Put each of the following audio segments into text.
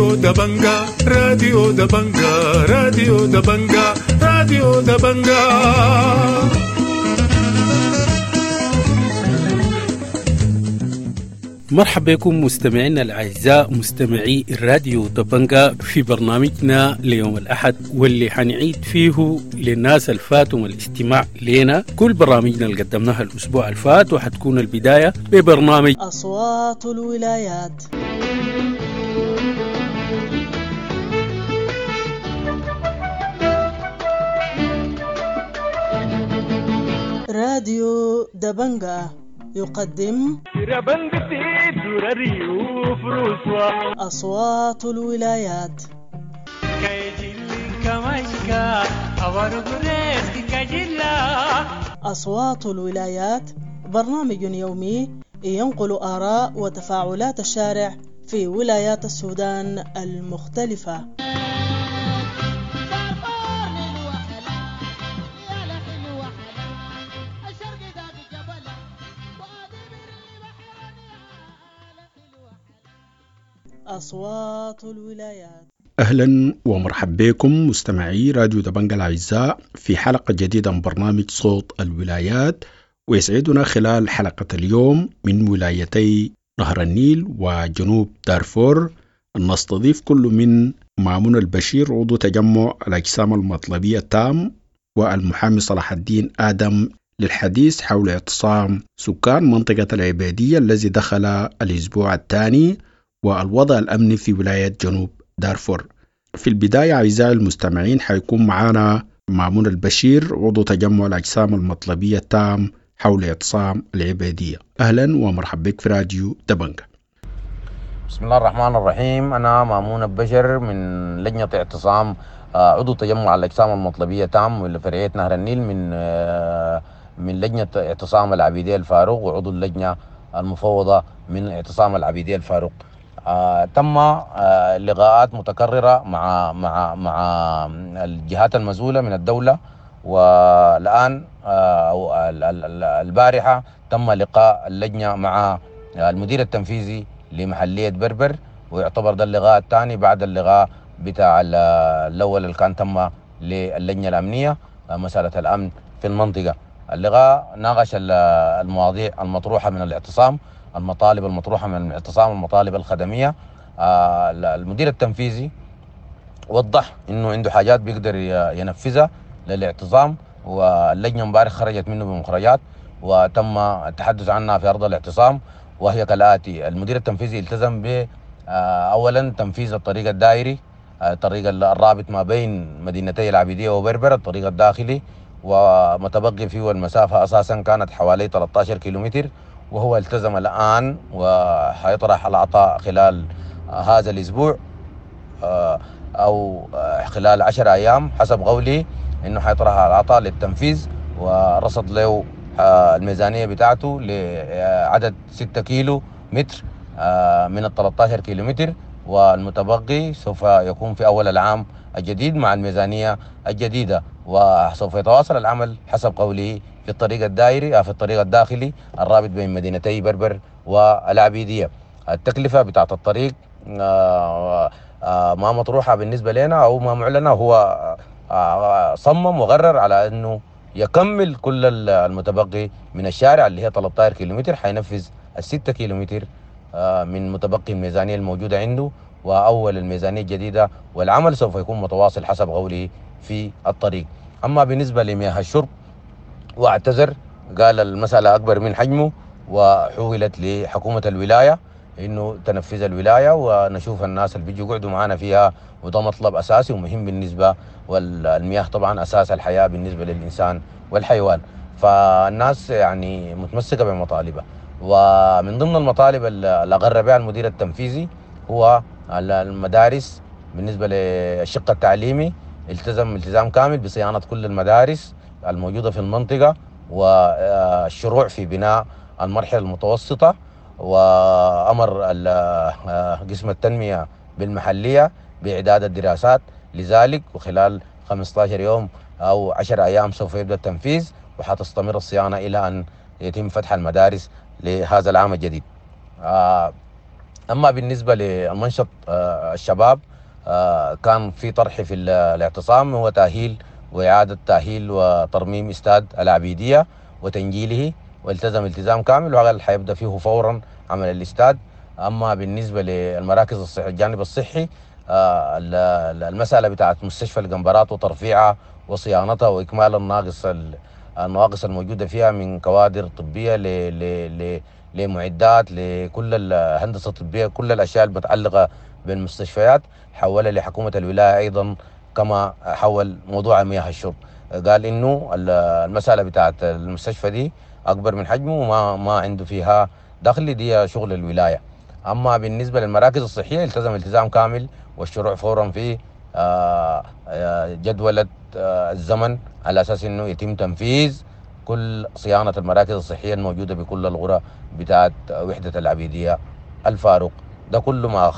راديو دبنجا، راديو دبنجا، راديو دبنجا، راديو دبنجا. مرحبا بكم مستمعينا الأعزاء مستمعي الراديو دبنجا في برنامجنا ليوم الأحد، واللي حنعيد فيه للناس الفاتهم الاستماع لنا كل برامجنا اللي قدمناها الأسبوع الفات، وحتكون البداية ببرنامج أصوات الولايات. راديو دبنجا يقدم أصوات الولايات. أصوات الولايات برنامج يومي ينقل آراء وتفاعلات الشارع في ولايات السودان المختلفة. أصوات الولايات. أهلا ومرحبا بكم مستمعي راديو دبنجا الأعزاء في حلقة جديدة من برنامج صوت الولايات، ويسعدنا خلال حلقة اليوم من ولايتي نهر النيل وجنوب دارفور أن نستضيف كل من مامون البشير عضو تجمع الأجسام المطلبية التام والمحامي صلاح الدين آدم للحديث حول اعتصام سكان منطقة العبيدية الذي دخل الأسبوع الثاني والوضع الأمني في ولاية جنوب دارفور. في البداية أعزائي المستمعين حيكون معنا مامون البشير عضو تجمع الأجسام المطلبية التام حول اعتصام العبيدية. أهلا ومرحبا بك في راديو دبنجا. بسم الله الرحمن الرحيم. أنا مامون البشر من لجنة اعتصام عضو تجمع الأجسام المطلبية تام لفرعية نهر النيل من لجنة اعتصام العبيدية الفاروق وعضو اللجنة المفوضة من اعتصام العبيدية الفاروق. تم لقاءات متكررة مع مع مع الجهات المسؤولة من الدولة، والآن البارحة تم لقاء اللجنة مع المدير التنفيذي لمحلية بربر، ويعتبر ده اللقاء الثاني بعد اللقاء بتاع الأول اللي كان تم للجنة الأمنية مسألة الأمن في المنطقة. اللقاء ناقش المواضيع المطروحة من الاعتصام، المطالب المطروحة من الاعتصام، المطالب الخدمية. المدير التنفيذي وضح انه عنده حاجات بيقدر ينفذها للاعتصام، واللجنة امبارح خرجت منه بمخرجات وتم التحدث عنها في أرض الاعتصام، وهي كالآتي: المدير التنفيذي التزم ب أولا تنفيذ الطريق الدائري، الطريق الرابط ما بين مدينتي العبيدية وبربر، الطريق الداخلي، ومتبقي فيه المسافة أساسا كانت حوالي 13 كيلومتر، وهو التزم الآن وحيطرح العطاء خلال هذا الأسبوع أو خلال 10 أيام حسب قولي، إنه حيطرح العطاء للتنفيذ، ورصد له الميزانية بتاعته لعدد 6 كيلو متر من 13 كيلو متر، والمتبقي سوف يكون في أول العام الجديد مع الميزانية الجديدة، وسوف يتواصل العمل حسب قوله في الطريق الدائري في الطريق الداخلي الرابط بين مدينتي بربر والعبيدية. التكلفة بتاعت الطريق ما مطروحة بالنسبة لنا أو ما معلنة، هو صمم وغرر على أنه يكمل كل المتبقي من الشارع اللي هي 13 كيلومتر، حينفذ 6 كيلومتر من متبقي الميزانية الموجودة عنده وأول الميزانية الجديدة، والعمل سوف يكون متواصل حسب قوله في الطريق. أما بالنسبة لمياه الشرب واعتذر، قال المسألة أكبر من حجمه وحولت لحكومة الولاية إنه تنفذ الولاية ونشوف الناس اللي بيجوا يقعدوا معنا فيها، وده مطلب أساسي ومهم بالنسبة، والمياه طبعا أساس الحياة بالنسبة للإنسان والحيوان، فالناس يعني متمسكة بمطالبها. ومن ضمن المطالب اللي أقر بها المدير التنفيذي هو المدارس. بالنسبة للشق التعليمي التزم التزام كامل بصيانة كل المدارس الموجودة في المنطقة والشروع في بناء المرحلة المتوسطة، وأمر قسم التنمية بالمحلية بإعداد الدراسات لذلك، وخلال 15 يوم أو 10 أيام سوف يبدأ التنفيذ، وحتستمر الصيانة إلى أن يتم فتح المدارس لهذا العام الجديد. اما بالنسبة للمنشط الشباب، كان في طرح في الاعتصام هو تاهيل واعاده تاهيل وترميم استاد العبيدية وتنجيله، والتزم التزام كامل وقال حيبدا فيه فورا عمل الاستاد. اما بالنسبة للمراكز الصحية، الجانب الصحي، المسالة بتاعت مستشفى القنبرات وترفيعها وصيانتها واكمال النواقص الموجودة فيها من كوادر طبية ل لمعدات لكل الهندسة الطبية، كل الاشياء المتعلقة بالمستشفيات حولها لحكومة الولاية ايضا، كما حول موضوع مياه الشرب. قال انه المسالة بتاعت المستشفى دي اكبر من حجمه وما ما عنده فيها دخل، دي شغل الولاية. اما بالنسبة للمراكز الصحية التزم التزام كامل والشروع فورا في جدوله الزمن على اساس انه يتم تنفيذ كل صيانة المراكز الصحية الموجودة بكل القرى بتاعت وحده العبيدية الفاروق. ده كل ما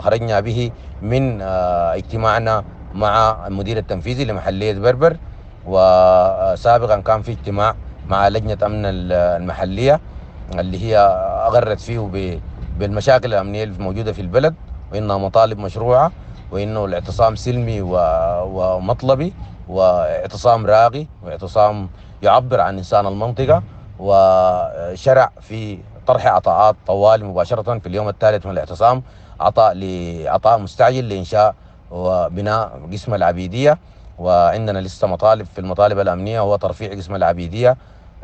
خرجنا به من اجتماعنا مع المدير التنفيذي لمحليه بربر، وسابقا كان في اجتماع مع لجنة امن المحلية اللي هي اغرت فيه بالمشاكل الامنية الموجودة في البلد، وانها مطالب مشروعه، وانه الاعتصام سلمي ومطلبي، واعتصام راقي، واعتصام يعبر عن انسان المنطقة. وشرع في طرح عطاءات طوال مباشرة في اليوم الثالث من الاعتصام، عطاء مستعجل لانشاء وبناء قسم العبيدية. وعندنا لسه مطالب في المطالب الامنية، هو ترفيع قسم العبيدية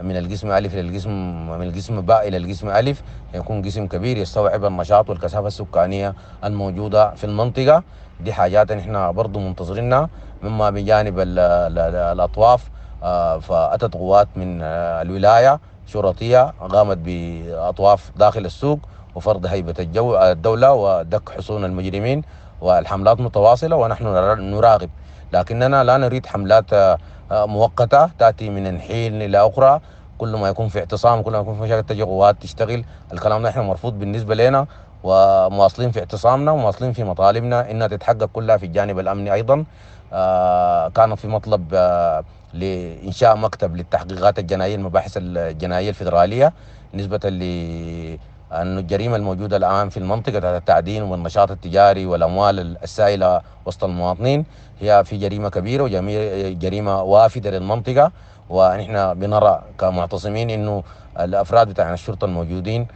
من القسم ألف للقسم، من القسم باء إلى القسم ألف، يكون قسم كبير يستوعب النشاط والكثافة السكانية الموجودة في المنطقة. دي حاجات نحن برضو منتظرينها. مما بجانب الأطواف، فأتت قوات من الولاية شرطية قامت بأطواف داخل السوق وفرض هيبة الدولة ودك حصون المجرمين، والحملات متواصلة ونحن نراقب، لكننا لا نريد حملات مؤقتة تأتي من حين إلى أخرى. كل ما يكون في اعتصام، كل ما يكون في مشاكل تجي قوات تشتغل. الكلام ده احنا مرفوض بالنسبة لنا، ومواصلين في اعتصامنا ومواصلين في مطالبنا انها تتحقق كلها في الجانب الامني ايضا. كان في مطلب لانشاء مكتب للتحقيقات الجنائية، المباحث الجنائية الفيدرالية، نسبه لأن الجريمة الموجودة الان في المنطقة تحت التعدين والنشاط التجاري والاموال السائلة وسط المواطنين هي في جريمة كبيرة وجريمة وافده للمنطقة. ونحن بنرى كمعتصمين انه الافراد بتاع الشرطة الموجودين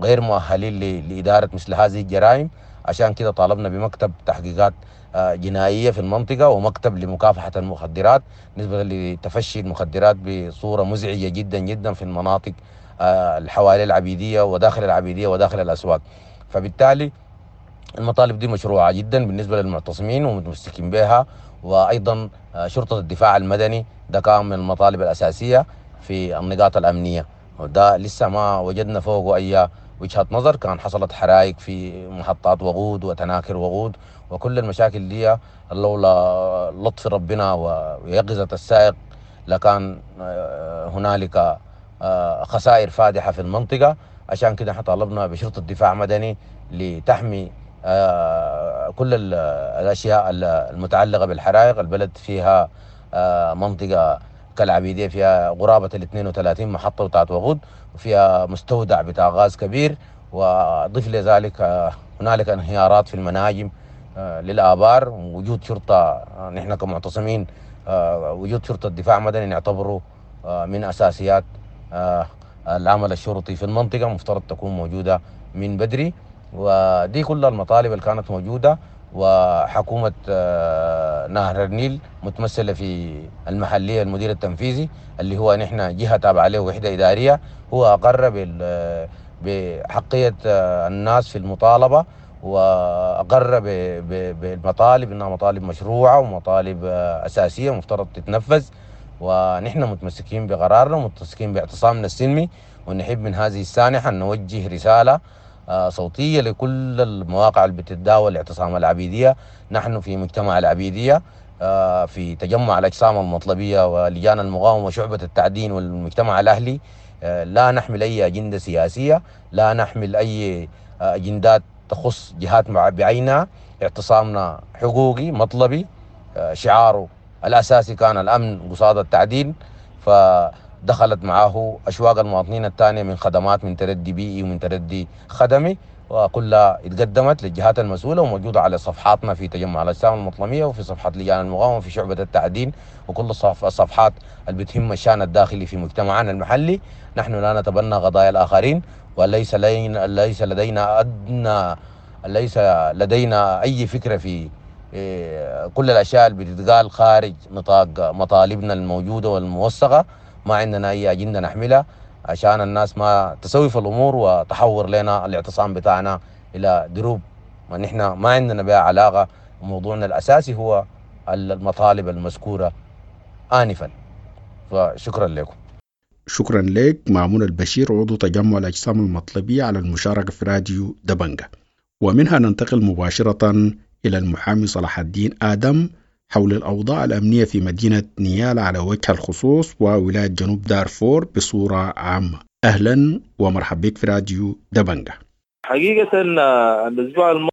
غير مؤهلين لادارة مثل هذه الجرائم، عشان كده طالبنا بمكتب تحقيقات جنائية في المنطقة ومكتب لمكافحة المخدرات، نسبه لتفشي المخدرات بصورة مزعجة جدا جدا في المناطق الحوالي العبيدية وداخل العبيدية وداخل الاسواق. فبالتالي المطالب دي مشروعه جدا بالنسبة للمعتصمين ومتمسكين بها. وايضا شرطه الدفاع المدني ده كان من المطالب الاساسية في النقاط الامنية، وده لسه ما وجدنا فوقه اي وجهه نظر. كان حصلت حرائق في محطات وقود وتناكر وقود وكل المشاكل دي، لولا لطف ربنا ويقظه السائق لكان هنالك خسائر فادحة في المنطقة. عشان كده احنا طالبنا بشرطه دفاع مدني لتحمي كل الاشياء المتعلقة بالحرائق. البلد فيها منطقة كالعبيديه فيها قرابة ال 32 محطة بتاعت وقود، وفيها مستودع بتاع غاز كبير، واضيف لذلك هنالك انهيارات في المناجم للابار. وجود شرطه، نحن كمعتصمين وجود شرطه دفاع مدني نعتبره من اساسيات العمل الشرطي في المنطقة، مفترض تكون موجودة من بدري. ودي كل المطالب اللي كانت موجودة. وحكومة نهر النيل متمثلة في المحلية المدير التنفيذي اللي هو نحن جهة تابعة له وحدة إدارية، هو أقر بحقية الناس في المطالبة، وأقر بالمطالب إنها مطالب مشروعة ومطالب أساسية مفترض تتنفذ. ونحن متمسكين بقرارنا ومتمسكين باعتصامنا السلمي، ونحب من هذه السانحة أن نوجه رسالة صوتية لكل المواقع اللي بتتداول اعتصام العبيدية. نحن في مجتمع العبيدية، في تجمع الأجسام المطلبية ولجان المقاومة وشعبة التعدين والمجتمع الأهلي، لا نحمل أي أجندة سياسية، لا نحمل أي أجندات تخص جهات بعينها. اعتصامنا حقوقي مطلبي، شعاره الأساسي كان الأمن قصاد التعدين. دخلت معه أشواق المواطنين الثانية من خدمات، من تردي بيئي ومن تردي خدمي، وكلها اتقدمت للجهات المسؤولة وموجودة على صفحاتنا في تجمع الأجسام المطلمية وفي صفحة لجان المقاومة وفي شعبة التعدين وكل الصفحات اللي بتهم الشأن الداخلي في مجتمعنا المحلي. نحن لا نتبنى قضايا الآخرين، وليس ليس لدينا أدنى، ليس لدينا أي فكرة في كل الأشياء اللي بتتقال خارج نطاق مطالبنا الموجودة والموثقة. ما عندنا أي أجندة نحملها عشان الناس ما تسوف الأمور وتحور لنا الاعتصام بتاعنا إلى دروب ونحن ما عندنا بها علاقة. موضوعنا الأساسي هو المطالب المذكورة آنفا. فشكرا لكم. شكرا لك مامون البشير عضو تجمع الأجسام المطلبية على المشاركة في راديو دبنجة. ومنها ننتقل مباشرة إلى المحامي صلاح الدين آدم حول الأوضاع الأمنية في مدينة نيالا على وجه الخصوص وولاية جنوب دارفور بصورة عامة. أهلا ومرحبا بك في راديو دبنجة. حقيقة الأسبوع الماضي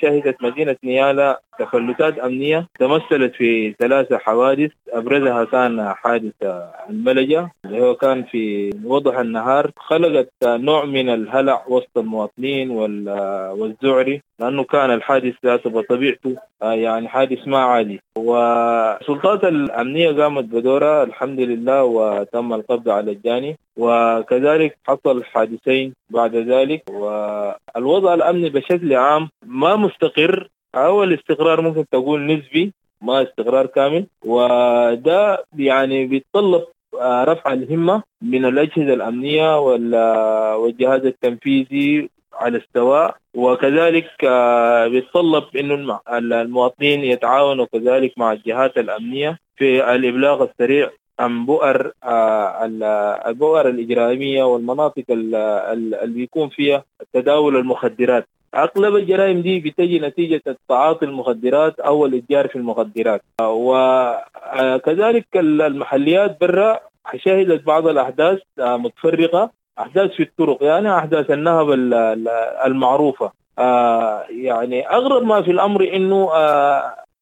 شهدت مدينة نيالا تفلتات أمنية تمثلت في 3 حوادث، أبرزها كان حادث الملجأ اللي هو كان في وضح النهار، خلقت نوع من الهلع وسط المواطنين والذعر، لأنه كان الحادث ذاته بطبيعته يعني حادث ما عادي. والسلطات الأمنية قامت بدورها الحمد لله وتم القبض على الجاني، وكذلك حصل حادثين بعد ذلك. والوضع الأمني بشكل عام ما مستقر، أو الاستقرار ممكن تقول نسبي ما استقرار كامل، وده يعني بيتطلب رفع الهمة من الأجهزة الأمنية والجهاز التنفيذي على السواء، وكذلك بيتطلب إنه المواطنين يتعاونوا كذلك مع الجهات الأمنية في الإبلاغ السريع عن البؤر الإجرامية والمناطق اللي بيكون فيها تداول المخدرات. أغلب الجرائم دي بتجي نتيجة تعاطي المخدرات أو الإتجار في المخدرات. وكذلك المحليات برا شهدت بعض الأحداث متفرقة، أحداث في الطرق، يعني أحداث النهب المعروفة. يعني أغرب ما في الأمر إنه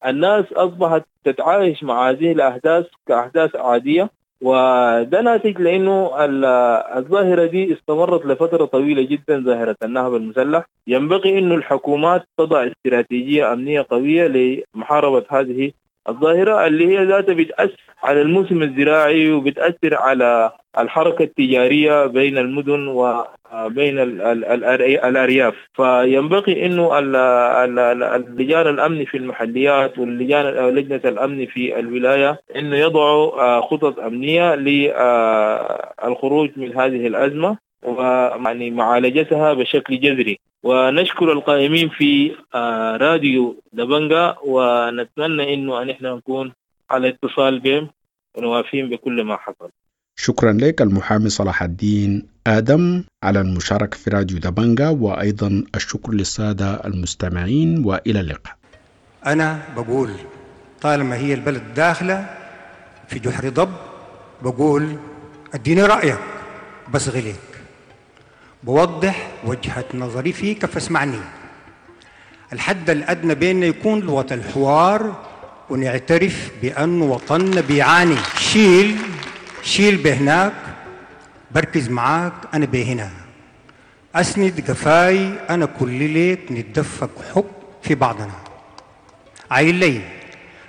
الناس أصبحت تتعايش مع هذه الأحداث كأحداث عادية، وده ناتج لأنه الظاهرة دي استمرت لفترة طويلة جدا، ظاهرة النهب المسلح. ينبغي أنه الحكومات تضع استراتيجية أمنية قوية لمحاربة هذه الظاهرة اللي هي ذاتها بتأثر على الموسم الزراعي وبتأثر على الحركة التجارية بين المدن وبين الأرياف. فينبغي أنه اللجان الأمن في المحليات واللجان لجنة الأمن في الولاية أنه يضعوا خطط أمنية للخروج من هذه الأزمة ويعني معالجتها بشكل جذري. ونشكر القائمين في راديو دبنجة، ونتمنى أنه نحن نكون على اتصال بهم ونوافيهم بكل ما حصل. شكرا لك المحامي صلاح الدين آدم على المشاركة في راديو دبنجة، وأيضا الشكر للسادة المستمعين، وإلى اللقاء. أنا بقول طالما هي البلد داخلة في جحر ضب، بقول اديني رأيك بس غليك، بوضح وجهة نظري فيك فاسمعني. الحد الأدنى بيننا يكون لغة الحوار، ونعترف بأن وطننا بيعاني. شيل بهناك، بركز معاك أنا بهنا، أسند قفاي أنا كل ليك، نتدفق حب في بعضنا. عايل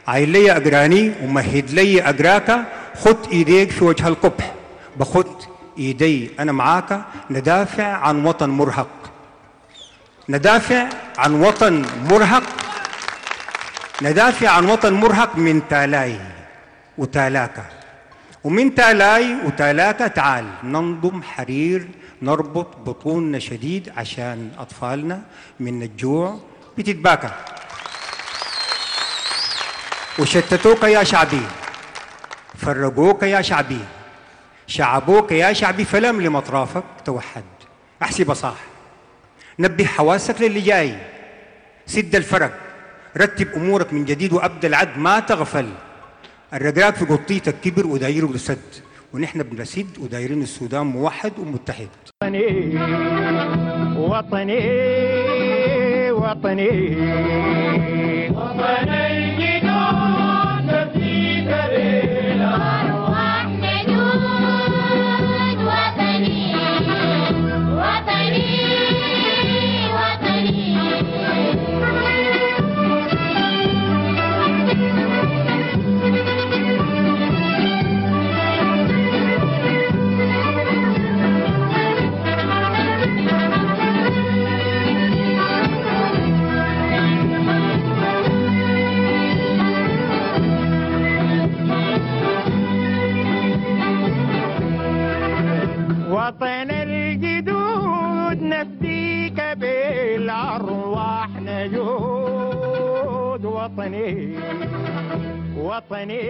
لي أقراني ومهد لي أقراك، خد إيديك في وجه القبح، بخد إيدي أنا معاك، ندافع عن وطن مرهق، ندافع عن وطن مرهق، ندافع عن وطن مرهق من تالاي وتالاكا، ومن تالاي وتالاكا تعال ننضم حرير، نربط بطوننا شديد عشان أطفالنا من الجوع بتتباكى. وشتتوك يا شعبي، فرقوك يا شعبي، شعبوك يا شعبي، فلم لمطرافك توحد. أحسب صح، نبه حواسك للي جاي، سد الفرق، رتب أمورك من جديد وأبدأ العد، ما تغفل. الرقراق في قطيتك كبر ودايره لسد، ونحن بنسد ودايرين السودان موحد ومتحد. وطني وطني وطني وطني جدود في كرينا. وطن الجدود نفديك بالأرواح نجود. وطني وطني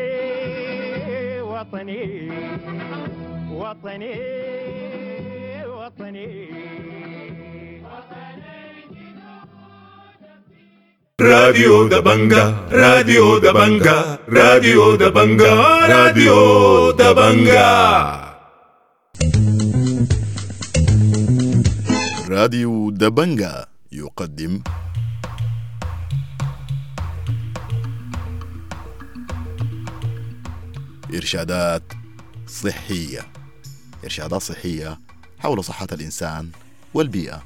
وطني وطني وطني. راديو دبنجا، راديو دبنجا، راديو دبنجا، راديو دبنجا. راديو دبنجا يقدم إرشادات صحية. إرشادات صحية حول صحة الإنسان والبيئة.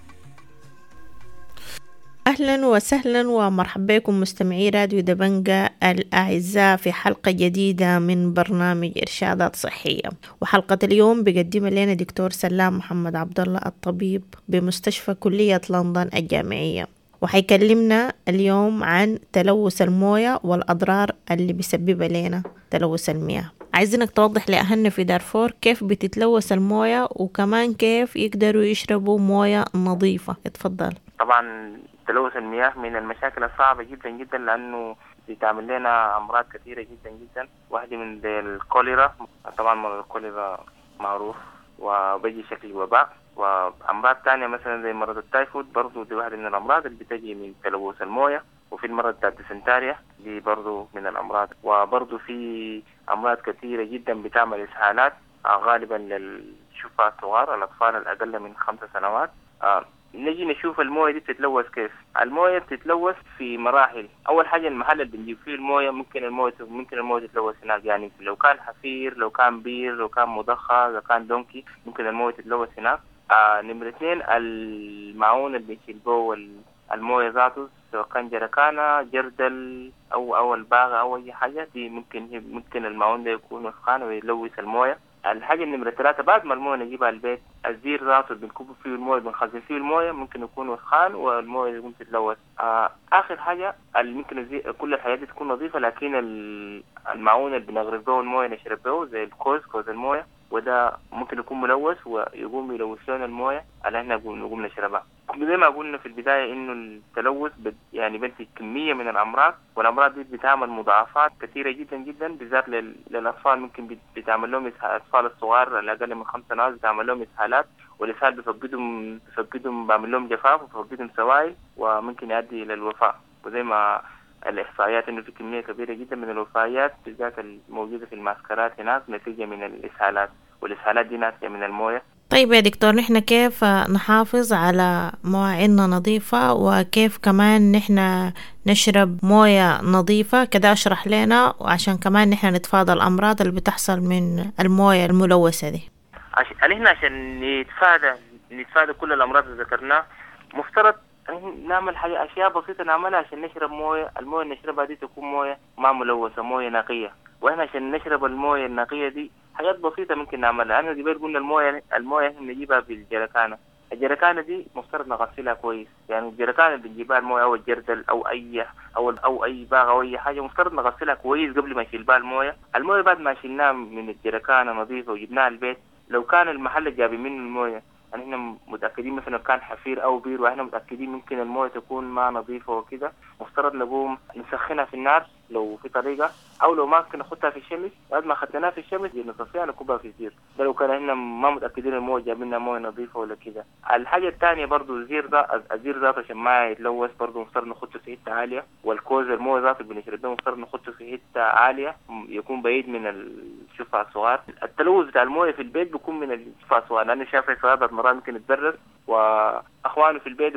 أهلا وسهلا ومرحبا بكم مستمعي راديو دبنجا الأعزاء في حلقة جديدة من برنامج إرشادات صحية. وحلقة اليوم بيقدمها لنا دكتور سلام محمد عبد الله الطبيب بمستشفى كلية لندن الجامعية، وحيكلمنا اليوم عن تلوث الموية والأضرار اللي بيسببها لنا تلوث المياه. عايزينك توضح لأهلنا في دارفور كيف بتتلوث الموية وكمان كيف يقدروا يشربوا موية نظيفة. اتفضل. طبعا تلوث المياه من المشاكل الصعبة جدا جدا، لأنه بتعمل لنا أمراض كثيرة جدا جدا. واحدة من الكوليرا، طبعا مرض الكوليرا معروف وبيجي شكل وباء، وأمراض تانية مثلا زي مرض التايفود برضو دي واحدة من الأمراض اللي بتجي من تلوث الموية. وفي المرض بتاع الديسنتاريا دي برضو من الأمراض. وبرضو في أمراض كثيرة جدا بتعمل إسهالات غالبا للشفاء الصغار، الأطفال الأقل من 5 سنوات. نجي نشوف الموية دي بتتلوث كيف. الموية بتتلوث في مراحل. أول حاجة المحل اللي بنجيب فيه الموية ممكن الموية تتلوث هناك، يعني لو كان حفير، لو كان بير، لو كان مضخة، لو كان دونكي، ممكن الموية تتلوث هناك. نمرة 2 المعون اللي بنشيل به الموية ذاته، سواء كان جركانة، جردل أو الباغة أو أي حاجة، دي ممكن المعون ده يكون وسخان ويلوث الموية. الحاجة النمرة 3 بعد ما الموية نجيبها البيت، الزير ذاته بنكب فيه الموية، بنخزن فيه الموية، ممكن يكون وسخان والموية يقوم تتلوث. آخر حاجة ممكن كل الحاجات دي تكون نظيفة، لكن المعون اللي بنغرف به الموية نشرب به زي الكوز، كوز الموية، وده ممكن يكون ملوث ويقوم يلوث لنا الموية اللي احنا نقوم نشربها. زي ما قلنا في البداية إنه التلوث يعني بنتج كمية من الأمراض، والأمراض دي بتعمل مضاعفات كثيرة جدا جدا، بالذات للأطفال. ممكن بتعمل لهم الأطفال الصغار الأقل من 5 سنوات بتعمل لهم إسهالات، والإسهال بفقدهم بعمل لهم جفاف وبفقدهم سوائل، وممكن يؤدي إلى الوفاة. وزي ما الإحصائيات إنه في كمية كبيرة جدا من الوفيات بالذات الموجودة في المعسكرات هناك نتيجة من الإسهالات، والإسهالات دي ناتجة من الموية. طيب يا دكتور، نحن كيف نحافظ على مواعيننا نظيفة، وكيف كمان نحن نشرب موية نظيفة؟ كده اشرح لنا، وعشان كمان نحن نتفادى الأمراض اللي بتحصل من الموية الملوثة دي. نحن عشان نتفادى كل الأمراض اللي ذكرناها، مفترض نعمل حاجة، أشياء بسيطة نعملها عشان نشرب موية. الموية اللي نشربها دي تكون موية ما ملوثة، موية نقية. وإحنا عشان نشرب الموية النقية دي حاجات بسيطة ممكن نعملها. أنا قبل قلنا الموية إحنا بنجيبها بالجركانة. الجركانة دي مفترض نغسلها كويس، يعني الجركانة اللي بنجيبها الموية أو الجردل أو أي أو أي باغة أو أي حاجة، مفترض نغسلها كويس قبل ما نشيل بها الموية. الموية بعد ما شلناها من الجركانة نظيفة وجبناها البيت، لو كان المحل اللي جابي منه الموية يعني احنا متأكدين مثلا كان حفير أو بير، واحنا متأكدين ممكن الموية تكون ما نظيفة وكده، مفترض نقوم نسخنها في النار لو في طريقة، أو لو ما ممكن نحطها في الشمس. بعد ما خدناها في الشمس نصفيها نكبها في الزير، ده لو كان احنا ما متأكدين الموية جابلنا موية نظيفة ولا كده. الحاجة الثانية برضو الزير ده، الزير ذاته عشان ما يتلوث برضو مفترض نحطه في حتة عالية، والكوز الموية ذاته اللي بنشربه مفترض نحطه في حتة عالية يكون بعيد من الشفع الصغار. التلوث بتاع الموية في البيت بيكون من الشفع الصغار، لأنه شاف الصغار مرات ممكن يتبرد واخوانه في البيت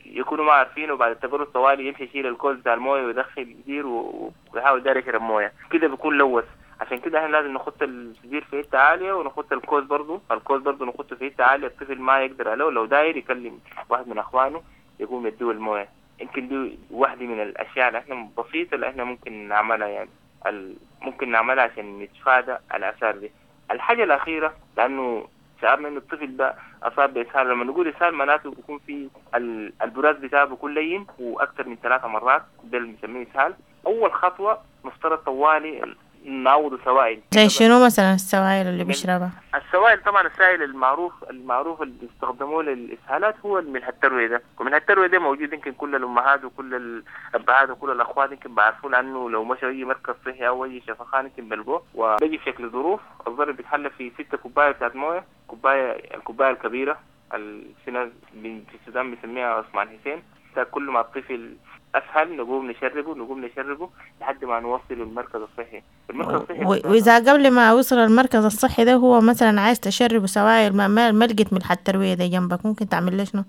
يكونوا ما عارفين، وبعد التبرد طوالي يمشي يشيل الكوز بتاع المويه ويدخل الزير ويحاول داير يشرب مويه، كده بيكون لوث. عشان كده احنا لازم نحط الزير في حته عاليه، ونحط الكوز برضه، الكوز برضه نحطه في حته عاليه الطفل ما يقدر عليه، لو داير يكلم واحد من اخوانه يقوم يديه المويه. يمكن دي واحده من الاشياء اللي احنا بسيطه اللي احنا ممكن نعملها، يعني ممكن نعملها عشان نتفادى الاثار دي. الحاجه الاخيره، لانه شعرنا انه الطفل ده اصاب باسهال، لما نقول اسهال معناته بيكون في البراز بتاعه بيكون لين واكثر من 3 مرات، ده اللي بنسميه اسهال. اول خطوه مفترض طوالي نعوضه سوائل. زي شنو مثلا السوائل اللي بيشربها؟ السوائل طبعا السائل المعروف اللي بيستخدموه للاسهالات هو الملح التروية ده، وملح التروية ده موجود يمكن كل الامهات وكل الابهات وكل الاخوات يمكن بعرفوه، لانه لو مشوا اي مركز صحي او اي شفخانه يمكن بلقوه. وبيجي في شكل ظروف، الظرف بيتحلى في 6 كوباية بتاعت مويه، الكوباية الكبيرة في ناس في السودان بيسميها عثمان حسين. كل ما الطفل اسهل نقوم نشربه لحد ما نوصله المركز الصحي. واذا قبل ما وصل المركز الصحي ده هو مثلا عايز تشربه سوائل ما لقيت ملح التروية ده جنبك، ممكن تعمل له شنو؟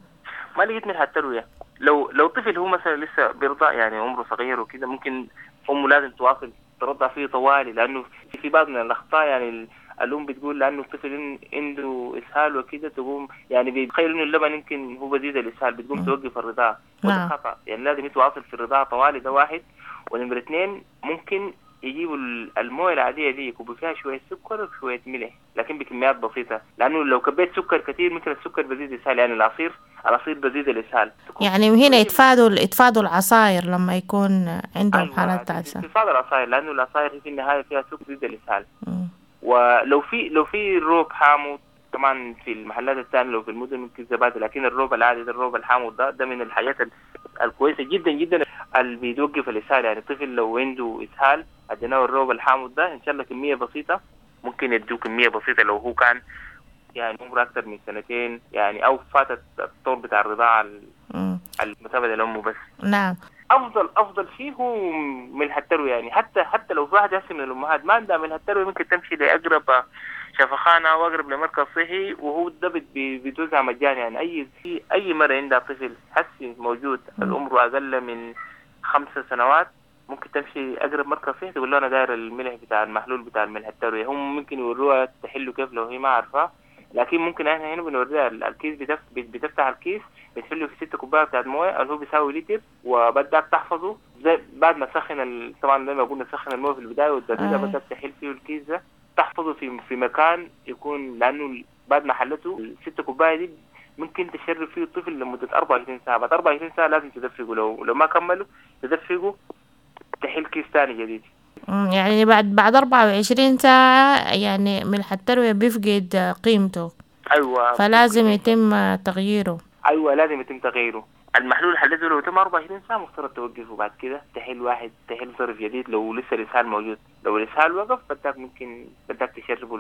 ما لقيت ملح التروية، لو طفل هو مثلا لسه بيرضع يعني عمره صغير وكده، ممكن امه لازم تواصل ترضع فيه طوالي، لانه في بعض من الاخطاء يعني الأم بتقول لأنه الطفل عنده إسهال وكده، تقوم يعني بيتخيل إنه اللبن يمكن هو بزيد الإسهال، بتقوم توقف الرضاعة، وده خطأ. يعني لازم يتواصل في الرضاعة طوالي، ده واحد. ونمرة 2 ممكن يجيبوا الموية العادية دي يكبوا فيها شوية سكر وشوية ملح، لكن بكميات بسيطة، لأنه لو كبيت سكر كثير ممكن السكر بزيد الإسهال، يعني العصير بزيد الإسهال. يعني هنا يتفادوا العصاير لما يكون عندهم حالة إسهال. يتفادوا العصاير لأنه العصاير في النهاية فيها سكر بزيد الإسهال. ولو في الروب حامض كمان في المحلات الثانية، لو في المدن ممكن زبادي، لكن الروب العادي ده الروب الحامض ده من الحاجات الكويسة جدا جدا اللي بيوقف الإسهال. يعني الطفل لو عنده إسهال اديناه الروب الحامض ده إن شاء الله كمية بسيطة، ممكن يدوه كمية بسيطة لو هو كان يعني عمره أكثر من 2 سنين يعني، أو فاتت الطور بتاع الرضاعة المتابعة لأمه بس. نعم. افضل شيء هو ملح التروية، يعني حتى لو في واحد هسه من الامهات ما عندها ملح التروية ممكن تمشي لاقرب شفخانه او اقرب لمركز صحي، وهو ده بيتوزع مجاني. يعني اي مرة عندها طفل حسي موجود العمر اقل من 5 سنوات ممكن تمشي اقرب مركز صحي تقول له انا داير الملح بتاع المحلول بتاع الملح التروية، هم ممكن يوروها تحله كيف لو هي ما عارفاه، لكن ممكن احنا هنا بنوريها الكيس، بتفتح الكيس بتحله في 6 كوباية بتاعت مويه اللي هو بيساوي لتر، وبدك تحفظه زي بعد ما تسخن طبعا زي ما قلنا تسخن المويه في البداية وتبردها، بدك تحل فيه الكيس ده تحفظه في مكان يكون، لانه بعد ما حلته ال6 كوباية دي ممكن تشرب فيه الطفل لمدة 24 ساعة، بعد 24 ساعة لازم تدفقه، لو ما كملوا تدفقه تحل كيس ثاني جديد. يعني بعد 24 ساعة يعني ملح التروية بيفقد قيمته. أيوة. فلازم يتم تغييره. أيوة لازم يتم تغييره. المحلول حلته لو تم 24 ساعة مفترض توقفه، بعد كده تحل ظرف جديد لو لسه الإسهال موجود، لو الإسهال وقف بدك ممكن بدك تشربه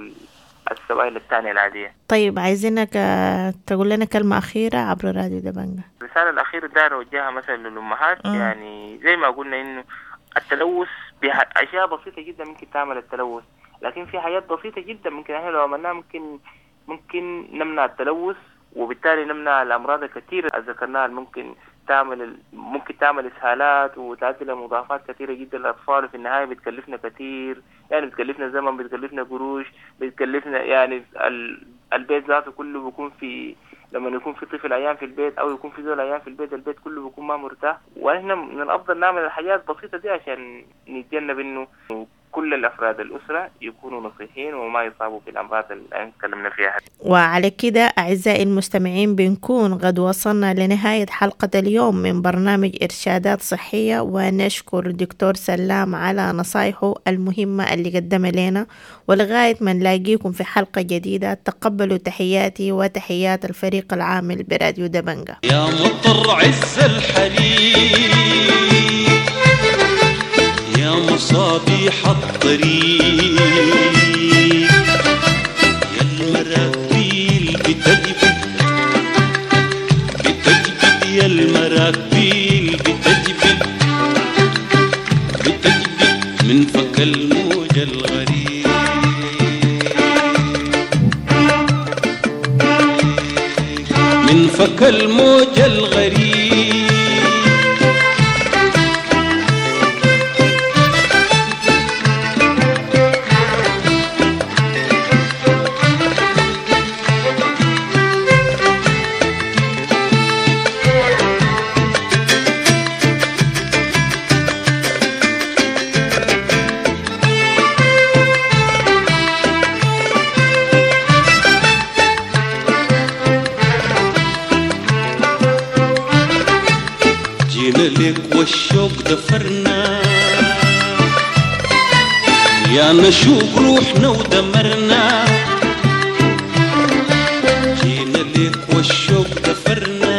السوائل الثانية العادية. طيب عايزينك تقول لنا كلمة أخيرة عبر راديو دبنجة. الرسالة الأخيرة داير أوجهها مثلا للأمهات، يعني زي ما قلنا إنه التلوث بأشياء بسيطة جدا ممكن تعمل التلوث، لكن في حاجات بسيطة جدا ممكن احنا لو عملناها ممكن نمنع التلوث، وبالتالي نمنع الأمراض الكثيرة اللي ذكرناها ممكن تعمل إسهالات وتؤدي لمضاعفات كثيرة جدا للأطفال، وفي النهاية بتكلفنا كثير، يعني بتكلفنا زمن، بتكلفنا قروش، بتكلفنا يعني البيت ذاته كله بيكون في، لما يكون في طفل عيان في البيت أو يكون في زول عيان في البيت، البيت كله بيكون ما مرتاح. وإحنا من الأفضل نعمل الحاجات البسيطة دي عشان نتجنب إنه كل الأفراد الأسرة يكونوا نصيحين وما يصابوا بالأمراض اللي تكلمنا فيها. وعلى كده أعزائي المستمعين بنكون قد وصلنا لنهاية حلقة اليوم من برنامج إرشادات صحية، ونشكر الدكتور سلام على نصايحه المهمة اللي قدمها لنا، ولغاية ما نلاقيكم في حلقة جديدة تقبلوا تحياتي وتحيات الفريق العامل براديو دبنجة. يا مطر عز الحريق، يا مصابيح الطريق، يا المراكبيل بتجبد بتجبد، يا المراكبيل بتجبد بتجبد من فك الموج الغريب، من فك الموج الغريب. جينا لك والشوق دفرنا، يا يا نشوق روحنا ودمرنا، جينا ليك والشوق دفرنا.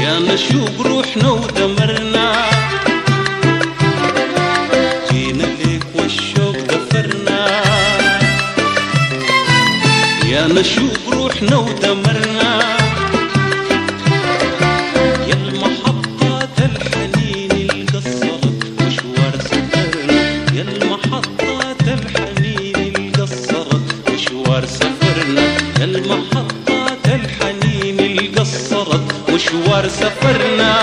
يا نشوق روحنا ودمرنا، جينا ليك والشوق دفرنا. يا نشوق روحنا ودمرنا، يا المحطات الحنين القصرت مشوار سفرنا. يا المحطات الحنين القصرت مشوار سفرنا. يا المحطات الحنين القصرت مشوار سفرنا.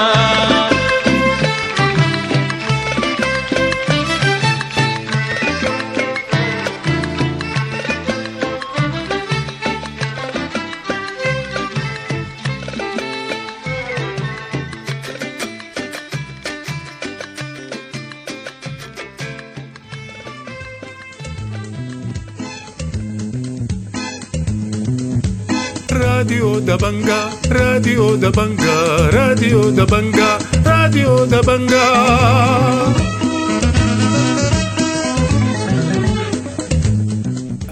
راديو دبنجا، راديو دبنجا، راديو دبنجا، راديو دبنجا.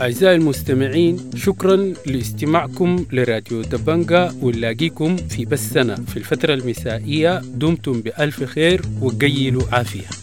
أعزائي المستمعين، شكرا لاستماعكم لراديو دبنجا، ونلاقيكم في بثنا في الفترة المسائية. دمتم بألف خير وقيلوا عافية.